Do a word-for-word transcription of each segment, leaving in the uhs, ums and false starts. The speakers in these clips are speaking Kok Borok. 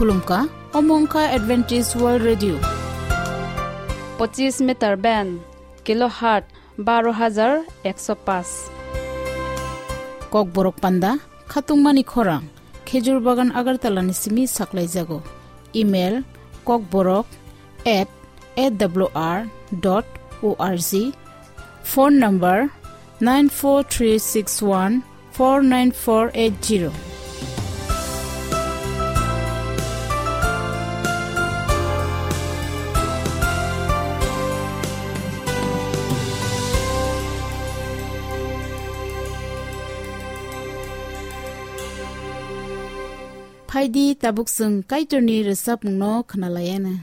Khulumkha, omo wngkha Adventist World Radio. Pochis meter band, kilohertz baro hajar ekso paanch. Kokborok panda, khatungmani khorang, Khejur Bagan Agartala ni simi saklaijago. Email, kokborok at A W R dot O R G. Phone number, nine four three six one four nine four eight zero. Phaidi, tabuk chwng Kaitorni rwchapmungno khwnalaiana.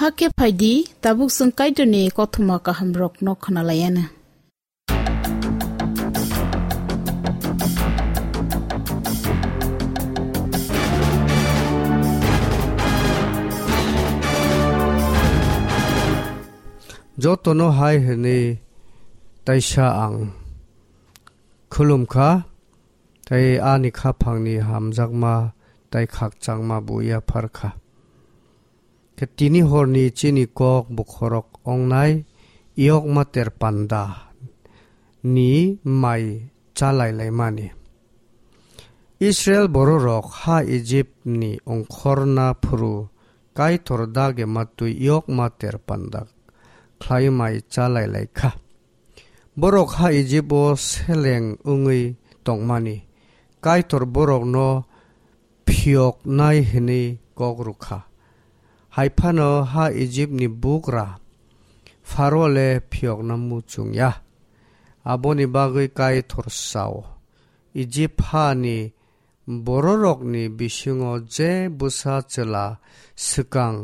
Hakhe phai di, tabuk chwng Kaitorni kothoma kahamrokno khna lai anw. Jotono hai hwnwi taisa ang khulum kha, tei ani khaphangni hamjakma tei khakchangma bo yaphar kha. Khe tini horni chini kok bokhorok ongnai yokma ter panda ni mai chalai laimani. Israel bororok ha Ijipni ongkhorna phuru Kaitor dage matwi yokma ter panda khlai mai chalai lai kha. Borok ha Ijipo seleng wngwi tongmani Kaitor borokno phiyoknai hwnwi kok rw kha. Hai phano ha Ijipni bugra Pharo le phiyokna muchung ya. Aboni bagwi Kaitor sao, Ijip hani bororokni bisingo je bwsa chwla swkang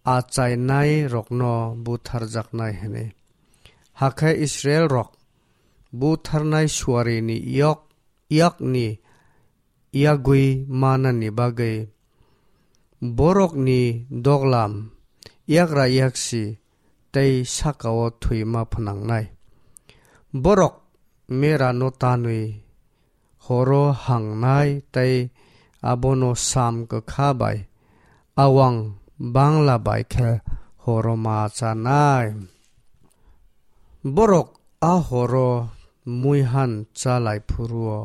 achainairokno butharjaknai hwnwi. Hakhe Israelrok butharnai suarini yok, yakni yagwi manani bagwi borokni doglam yagra yaksi tei sakao thwima phnangnai. Borok merano tanwi horo hangnai tei abono sam kwkha bai awang bangla bai khe horo ma chanai. Borok a horo muihan chalai phuruo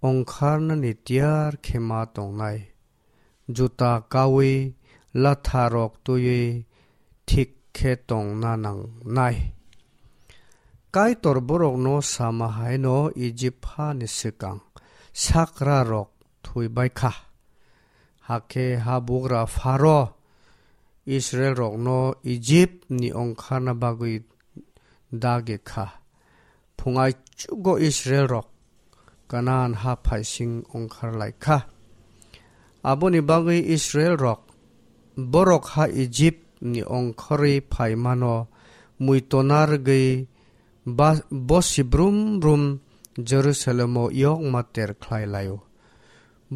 ongkharnani tiyar khe ma tongnai. Juta kaui latharok twiwi thik khe tongna nangnai. Kaitor borokno sama haino Ijip hani swkang sakrarok thwibai kha. Hakhe habugra Pharo Israelrokno Ijipni ongkharna bagwi dagi kha. Phung aichugo Israelrok Kanaan ha phaising ongkhar lai kha. Aboni bagwi Israelrok borok ha Ijipni ongkhorwi phaimano muitona rwgwi ba-, bosi brum brum Jerusalemo yokma ter khlai laio.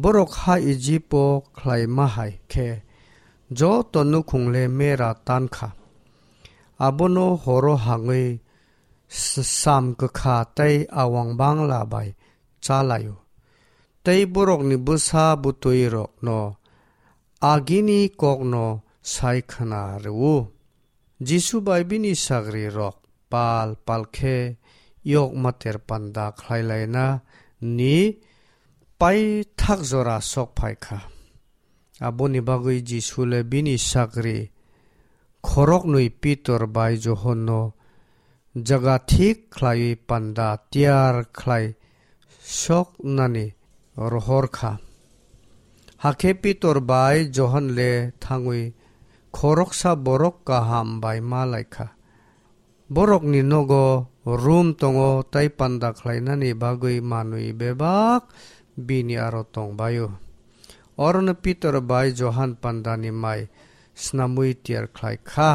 Borok ha Ijipo khlaima hai khe joto nukhungle mera tan kha. Abono horo hangwi s-, sam kwkha tei awang bangla bai chalaio. Tei borokni bwsa bwtwirokno agini kokno sai khna rw-o. Jisu bai bini sagrirok pal pal khe yokma ter panda khlai laina ni paithak jora sok phai kha. Aboni bagwi Jisu le bini sagri khoroknwi Pitor bai Johonno jaga thik khlaiwi panda tiyar khlai soknani rohor kha. Hakhe Pitor bai Johon le thangwi khoroksa borok kaham bai ma lai kha. Borokni nogo room tongo, tei panda khlainani bagwi manwi bebak bini aro tongbaio. Orono Pitor bai Johan pandani mai snamwi tiyar khlai kha.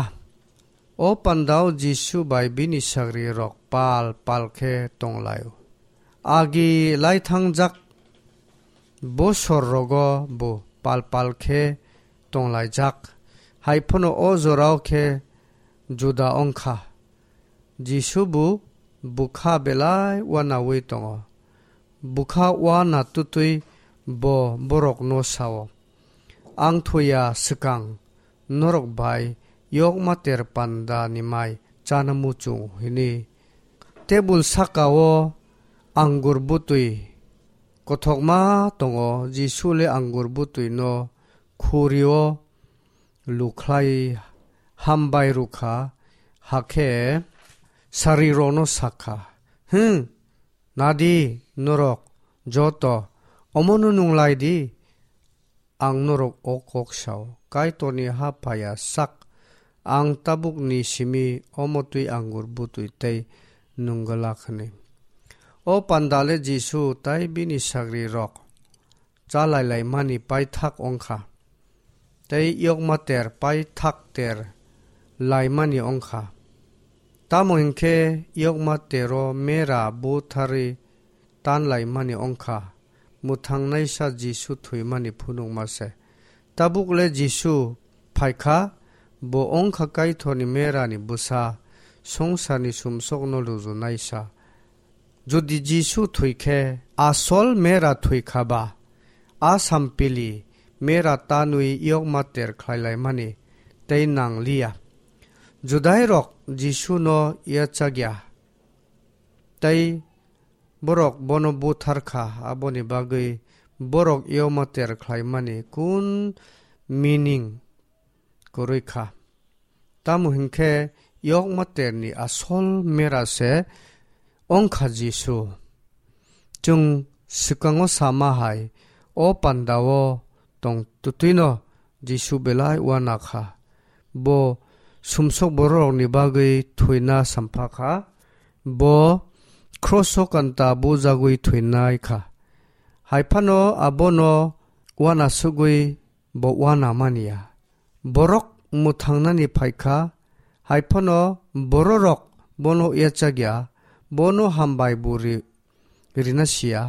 O pandao Jisu bai bini sagrirok pal pal khe tonglaio. Agi lai thangjak bosor rogo bo pal pal khe tonglaijak. Hai phano o jorao khe juda wng kha. Jisu bo bwkha belai uanaui tongo. Bwkha uana twtwi bo borokno sao, "Ang thoya swkang norok bai yokma ter panda ni mai chana muchung," hwnwi. Tebul saka-o angur bwtwi kothokma tongo. Jisu le angur bwtwi no khuri-o lukhlai hambai rwkha, hakhe sarirokno sakha, "Hwn, nadi norok joto, omono nung lai di." Ang norok o kok sao, Kaitorni ha phaiya sak, ang tabukni simi omo twi angur bwtwi tei nung glak hwnwi. O panda le Jisu tei bini sagrirok cha lai laimani paithak wng kha. tei yokma ter paithak ter laimani wng kha. Tamo hwn khe yokma tero mera butharwi tan laimani wng kha, mwthangnaisa Jisu thwimani phunukma se. Tabuk le Jisu phai kha, bo wng kha Kaitorni merani bwsa, swngcharni sumsokno lujunaisa. Jodi Jisu thwi khe asol mera thwi kha ba, a sampili mera tanwi yokma ter khlai laimani tei nang liya. Judairok Jisuno yachak ya, tei borok bono buthar kha, aboni bagwi borok yokma ter khlaimani kun meaning kwrwi kha. Tamo hwn khe yokma terni asol mera se wng kha Jisu. Chwng swkango sama hai, o pandao tong twtwino Jisu belai uana kha. Bo sumsok bororokni bagwi thwina sampha kha. Bo kroso kanta bujagwi thwinai kha. Hai phano abono uana sugwi bo uana man ya. Borok mwthangnani phai kha, hai phano bororok bono yachak ya, bono hambai bo ri-, rina si ya.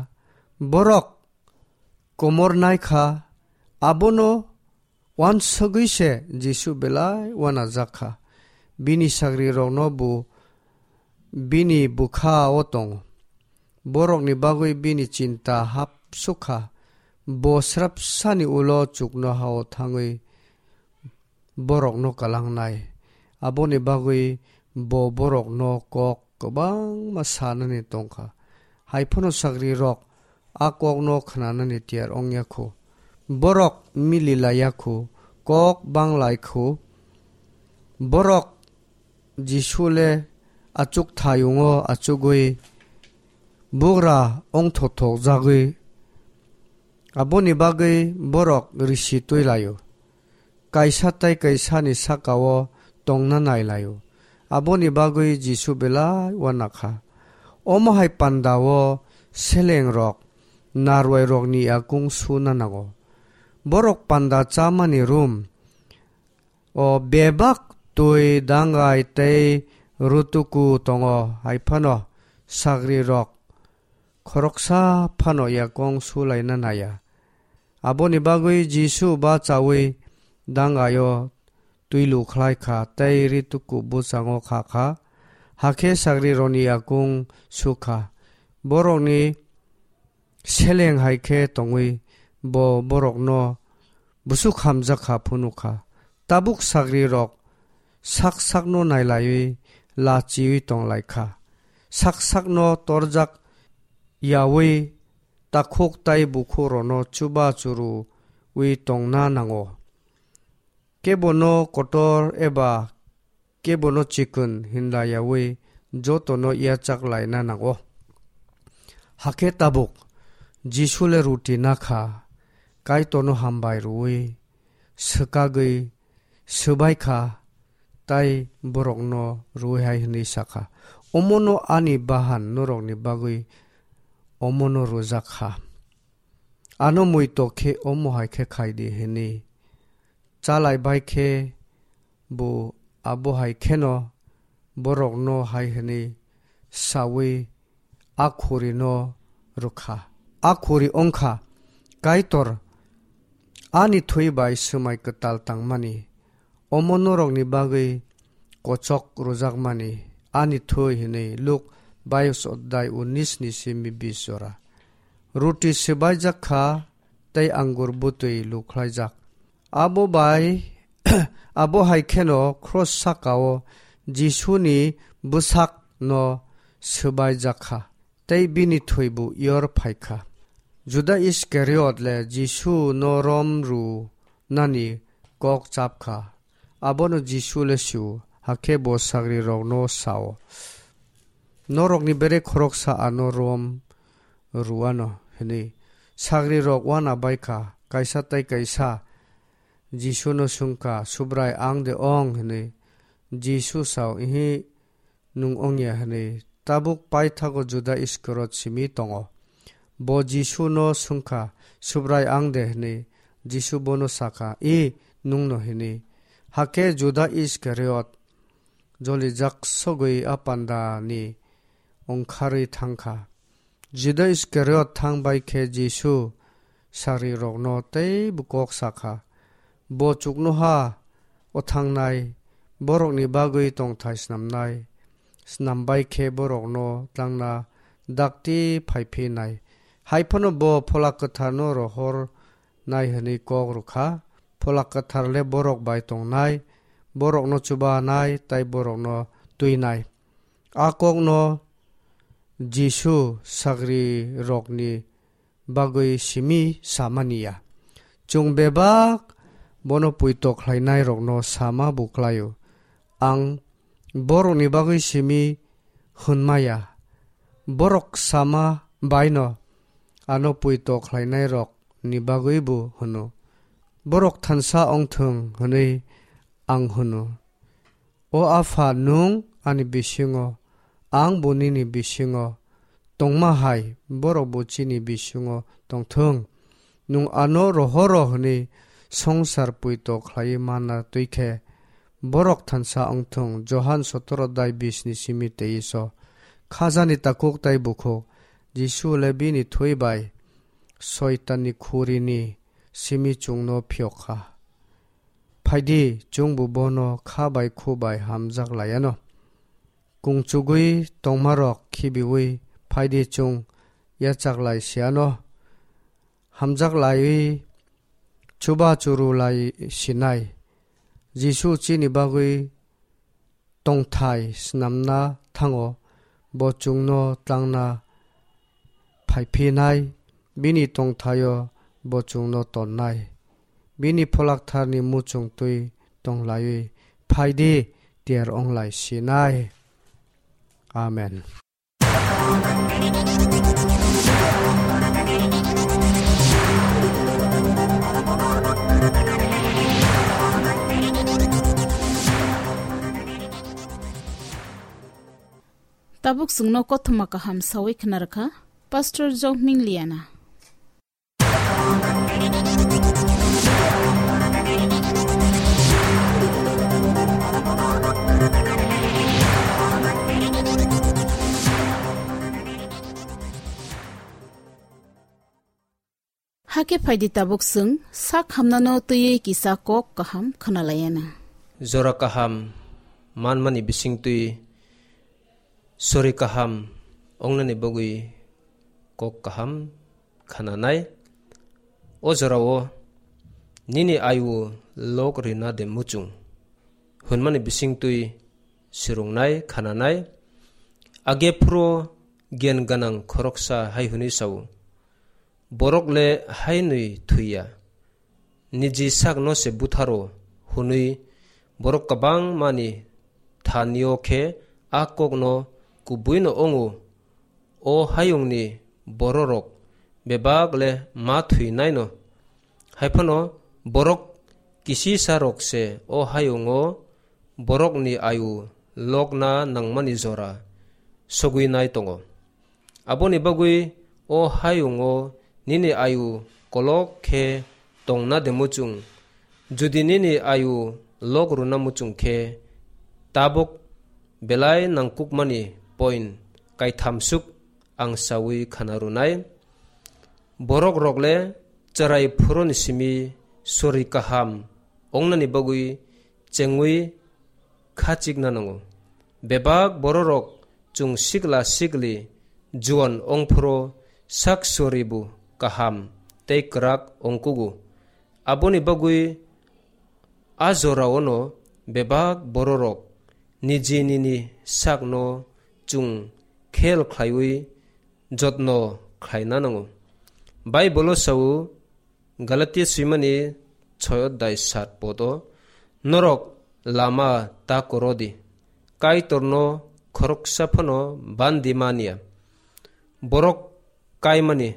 Borok komor nai kha, abono uansugwi se Jisu belai uanajak kha. Bini sagrirokno bo bini bwkha-o tongo. Borokni bagwi bini chinta hapsuk kha. Bo srapsani ulo chuknoha-o thangwi borokno kalangnai. Aboni bagwi bo borokno kok kwbangma sanani tong kha. Hai phano sagrirok a kokno khnanani tiyar wng ya kho. Borok mili lai ya kho, kok bang lai kho. Borok Jisu le achuk thayungo achugwi bugra wngthothok jagwi. Aboni bagwi borok risi twi laio. Kaisa tei kaisani saka-o tongna nai laio. Aboni bagwi Jisu belai uana kha. Omo hai panda-o selengrok narwai rokni yakung suna nango. Borok panda chamani room o bebak twi dangai tei rutuku tongo, hai phano sagrirok khoroksa phano yakung sulaina naiya. Aboni bagwi Jisu bachaui dangaio twi lukhlai kha tei rituku bwskango kha kha, hakhe sagrirokni yakung su kha. Borokni seleng hai khe tongwi bo borokno bwswk hamjak kha phunuk kha. Tabuk sagrirok sak sakno nailaiwi lachiui tong lai kha. Sak sakno torjak yaui takhuk tai bukhukrokno chuba churuui tongna nango. Kebono kotor eba kebono chikon hinla yaui jotono yachak laina nango. Hakhe tabuk Jisu le ruti na kha, Kaitorno hambai rwui, swkagwi swbai kha, tai borokno rwui hai hwnwi sa kha, "Omono ani bahan norokni bagwi omono rwjak kha. Ano muitok khe omo hai khe khai di," hwnwi. Chalai bai khe bo abo hai kheno borokno hai hwnwi saui a khurino rwkha. A khuri wngkha, "Kaitor, ani thwi bai swmai kwtal tangmani, omo norokni bagwi kochok rwjakmani ani thwi," hwnwi Luk baish odhyay unnish ni simi bish jora. Ruti swbaijak kha tei angur bwtwi lukhlaijak. Abo bai, abo hai kheno cross saka-o Jisuni bwsakno swbaijak kha, tei bini thwibo yor phai kha. Juda Iskariot le Jisu no rom rw nani kok chap kha. Abono Jisu le sio, hakhe bo sagrirokno sao, "Norokni bere khoroksa ano rom rwano," hwnwi. Sagrirok uana bai kha, kaisa tei kaisa Jisuno swng kha, "Subrai, ang de ong?" hwnwi. Jisu sao, "Ihi, nwng ongya," hwnwi. Tabuk paithago Juda Iskariot simi tongo. Bo Jisuno swng kha, "Subrai, ang de?" hwnwi. Jisu bono sa kha, "I, nwngno hwnwi. Hakhe Juda Iskariot jolijak sogwi a pandani ongkharwi thang kha. Juda Iskariot thang bai khe Jisu sagrirokno teibo kok sa kha. Bo chuknoha o thangnai borokni bagwi tongthai snamnai. Snam bai khe borokno tlangna dakti phai phinai. Hai phano bo Phola Kwtharno rohornai hwnwi kok rw kha. Phola Kwthar le borok bai tongnai, borokno chubanai tei borokno twinai. A kokno Jisu sagrirokni bagwi simi samani ya. Chwng bebak bono poito khlainairokno sama bo khlaio. Ang borokni bagwi simi hwnma ya. Borok sama baino ano poito khlainairokni bagwi bo hwno. Borok thansa ongthwng hwnwi ang hwno. O Apha, nwng ani bisingo, ang bo nini bisingo tongma hai, borok bo chini bisingo tongthwng. Nwng ano rohoro hwnwi songsar poito khlaiwi manna twi khe, borok thansa wngthwng. Johan sotoro dai bis ni simi teiso. Khajani takhuk tei bukhuk, Jisu le bini thwi bai Soitanni khurini simi chwngno phiyok kha. Phaidi, chwngbo bono kha bai khu bai hamjak lai anw. Kungchugwi tongmarok khibiwi phaidi, chwng yachak lai si anw. Hamjak laiwi chuba churu lai sinai. Jisu chini bagwi tongthai snamna thango, bo chwngno tlangna phaiphinai, bini tongthaio bo chwngno tonnai. Bini Pholaktharni muchung twi tonglaiwi phaidi, tiyar onglai sinai. Amen. Tabuk chwngno kothoma kaham sawi khna rwkha Pastor Jokming Liana. Hakhe phaidi tabuk chwng sak hamnano twiwi kisa kok kaham khwnalaianw. Jora kaham manmani bisingtwi sori kaham ongnani bagwi kok kaham khananai. O jorao nini ayu lok rina de muchung hwnmani bisingtwi swrwngnai khananai. Age phuro gyan gwnang khoroksa hai hwnwi sao, borok le hainwi thwiya, niji sakno se butharo hwnwi borok kwbangmani thanio khe a kokno kubuino wngo. O hayungni bororok bebak le ma thwinaino. Haiphano borok kisisarok se o hayungo borokni ayu lokna nangmani jora sogwinai tongo. Aboni bagwi o hayungo nini ayu kolok khe tongna de muchung? Judi nini ayu lok rwna muchung khe, tabuk belai nangkukmani point kaithamsuk ang sawi khana rwnai. Borok rok le chwrai phuroni simi sori kaham ongnani bagwi chengwi khachikna nango. Bebak bororok chwng sikla sikli juan ongphuru sak soribu kaham tei kwrak ongkugu. Aboni bagwi a joraono bebak bororok niji nini sakno chwng khel khlaiwi jotno khlaina nango. Baibolo sao, Galatia swimani choi odai sat podo, norok lama ta korodi, Kaitorno khoroksa phano bandi manya. Borok kaimani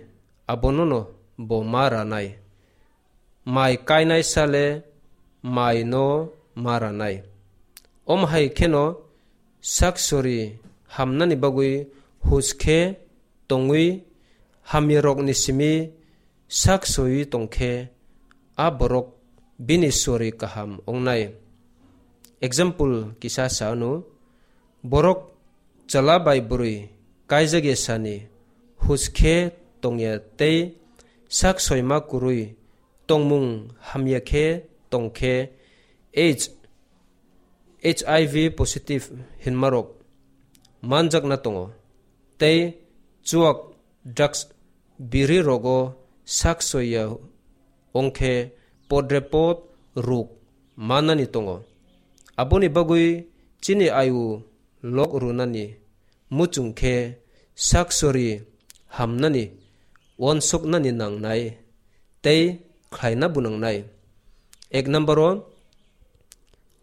abonono bo ma ranai. Mai kainai sale mai no ma ranai. Om hai kheno sak sori hamnani bagwi hus khe tongwi hamyarokni simi sak soiwi tongkhe, a borok bini sori kaham wngnai. Example kisa sa ano, borok chwla bai bwrwi kaijak ya sani, huj khe tongya tei sak soima kwrwi tongmung hamya khe tongkhe H, H I V positive hinmarok manjakna tongo tei chuak drugs biri rogo sak soiya ongkhe podrepot ruk manani tongo. Aboni bagwi chini ayu lok runani muchung khe sak sori hamnani, uansuknani nangnai tei khlaina bo nangnai. Ek number o,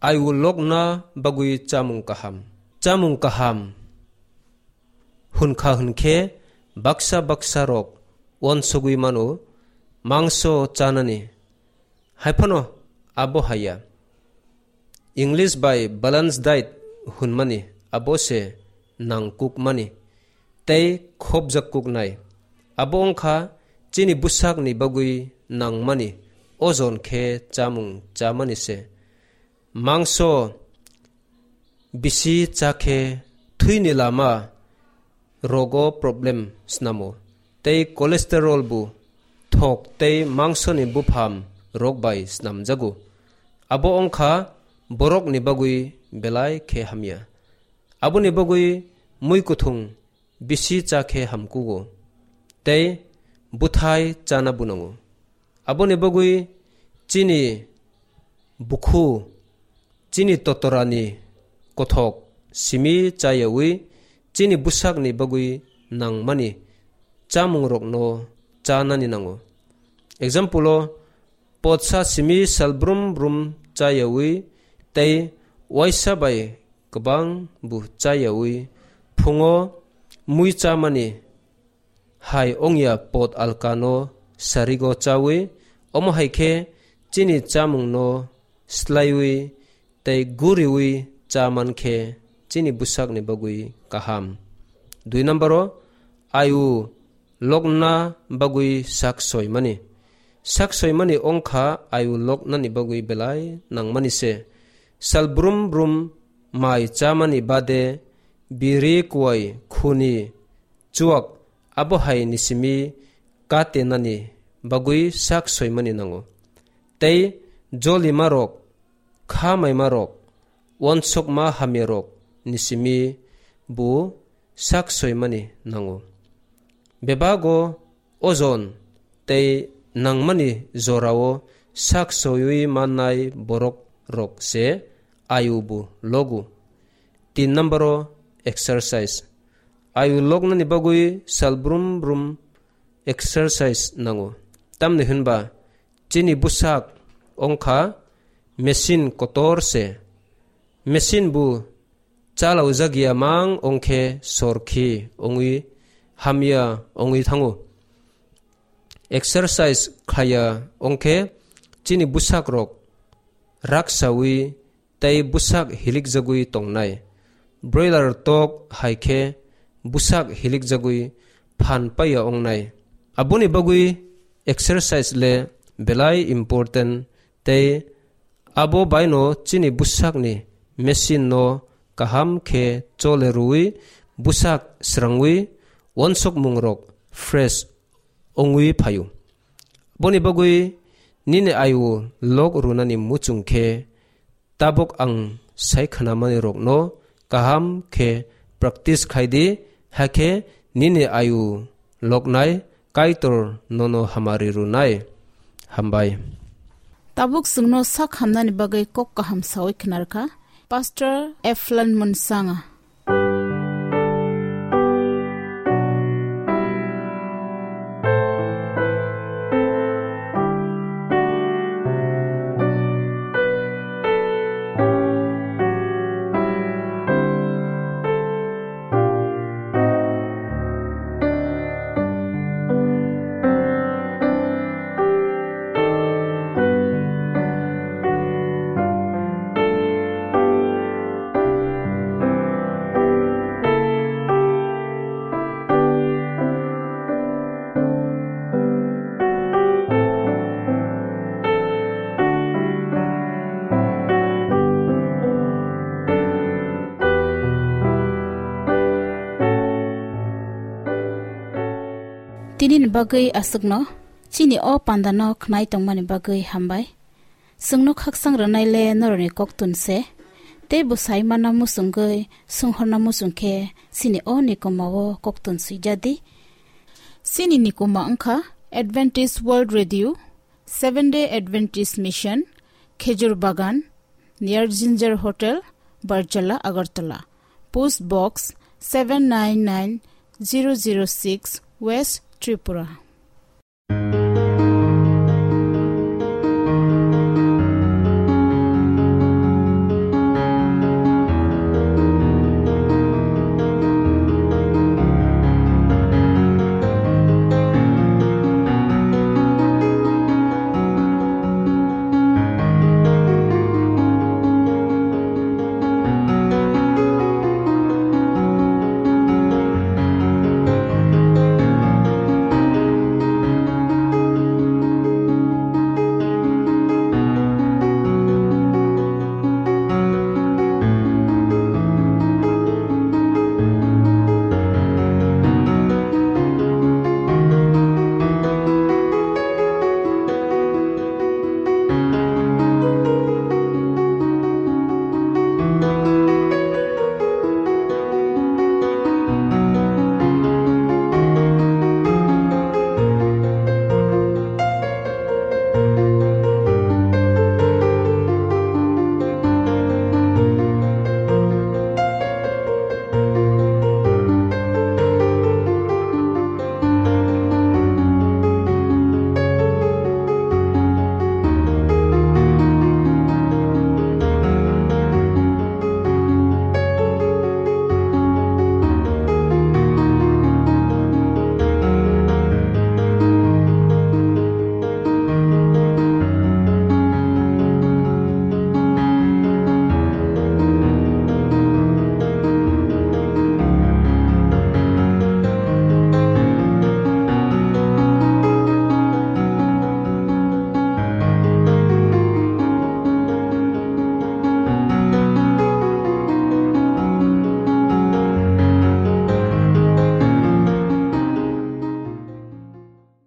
ayu lokna bagwi chamung kaham. Chamung kaham hwnkha hwnkhe baksa baksa rok uansugwi mano mangso chanani, haiphano abo haya. English bai balance diet hwnmani abo se nangkukmani tei khopjakkuknai. Abo wngkha chini bwsakni bagwi nangmani ojon khe chamung chamani se. Mangso bisi cha khe thwini lama rogo problem snamo tei cholesterol bo thok tei mangsoni bupham rok bai snamjago. Abo wngkha borokni bagwi belai khe hamya. Aboni bagwi mui kuthung bisi cha khe hamkugo tei bwthai chana bunango. Aboni bagwi chini bukhu, chini totorani kothok simi chayawi chini bwsakni bagwi nangmani chamungrokno chanani nango. Example o, potsa simi sal brum brum chayawi tei waisa bai kwbang bo chayawi phungo mui chamani hai ongya pot alkano sarigo chawi, omo hai khe chini chamungno slaiwi tei guriwi cha man khe chini bwsakni bagwi kaham. Dui number o, ayu lokna bagwi sak soimani. Sak soimani wngkha ayu loknani bagwi belai nangmani se. Sal brum brum mai chamani bade biri kuai khuni chuak abo hai ni simi ka tenani bagwi sak soimani nango. Tei jolimarok, kha maimarok, uansukma hamyarok ni simi bo sak soimani nango. Bebago ojon tei nangmani jorao sak soiwi mannai borok rok se ayu bo logo. Tin number o exercise. Ayu loknani bagwi sal brum brum exercise nango. Tamni hwnba chini bwsak wngkha machine kotor se. Machine bo chalaujak ya mang ongkhe sorkhi ongwi hamya ongwi thango. Exercise khaya ongkhe chini bwsak rok raksawi tei bwsak hilikjagwi tongnai. Broiler tok hai khe bwsak hilikjagwi phan paiya ongnai. Aboni bagwi exercise le belai important tei abo baino chini bwsakni machine no kaham khe chole rwui bwsak srangwi uansukmung rok fresh ongwi phaio. Boni bagwi nini ayu lok runani muchung khe tabuk ang sai khwnamanirokno kaham khe practice khai di, hakhe nini ayu loknai Kaitor nono hamari rwnai. Hambai. Tabuk chwngno sak hamnani bagwi kok kaham sawi khwnarkha Pastor Eflon Munsanga. Nini bagwi aswkno chini o pandano khnai tongmani bagwi hambai. Chwngno khaksang rwnaile norokni koktun se, tei bwsai mana muchungwi swnghorna muchung khe chini o nikoma o koktun swijadi. Chini nikoma wngkha Adventist World Radio, Seventh Day Adventist Mission, Khejur Bagan, near Ginger Hotel, Barjala, Agartala. Post Box seven nine nine zero zero six, West Tripura.